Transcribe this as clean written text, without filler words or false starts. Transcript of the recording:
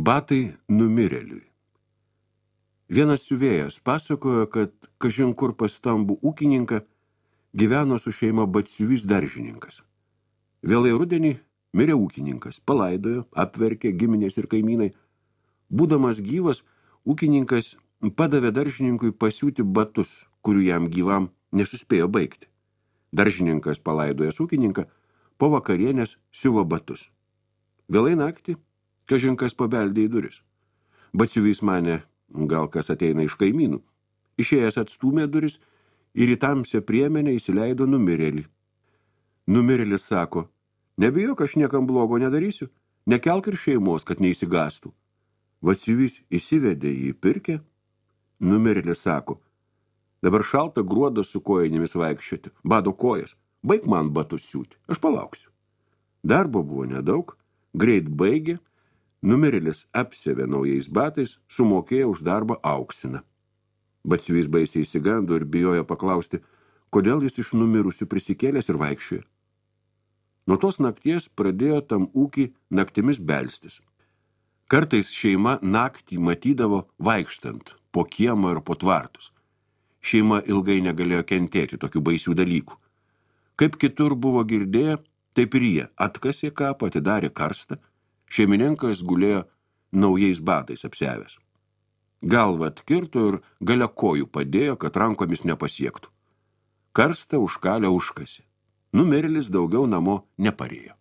Batai numirėliui. Vienas siuvėjas pasakojo, kad kažin kur pas stambų ūkininką gyveno su šeima batsiuvys daržininkas. Vėlai rudenį mirė ūkininkas, palaidojo, apverkė giminės ir kaimynai. Būdamas gyvas, ūkininkas padavė daržininkui pasiūti batus, kurių jam gyvam nesuspėjo baigti. Daržininkas palaidojęs ūkininką, po vakarienės siuvo batus. Vėlai naktį kažinkas pabeldė į duris. Batsiuvys manė, gal kas ateina iš kaimynų. Išėjęs atstūmė duris ir į tamsią priemenę įsileido numirėlį. Numirėlis sako, nebijok, aš niekam blogo nedarysiu, nekelk ir šeimos, kad neįsigastų. Batsiuvys įsivedė jį pirkę. Numirėlis sako, dabar šalta gruodą su kojinėmis vaikščioti, bado kojas, baig man batus siūti, aš palauksiu. Darbo buvo nedaug, greit baigė, numirėlis apsiavė naujais batais, sumokėjo už darbą auksiną. Batsiuvys baisiai įsigando ir bijojo paklausti, kodėl jis iš numirusių prisikėlęs ir vaikščiojo. Nuo tos nakties pradėjo tam ūkį naktimis belstis. Kartais šeima naktį matydavo vaikštant po kiemą ir po tvartus. Šeima ilgai negalėjo kentėti tokių baisių dalykų. Kaip kitur buvo girdėję, taip ir jie atkasė kapą, atidarė karstą, šeimininkas gulėjo naujais batais apsiavęs. Galvą atkirto ir gale kojų padėjo, kad rankomis nepasiektų. Karstą užkalę užkasė. Numirėlis daugiau namo neparėjo.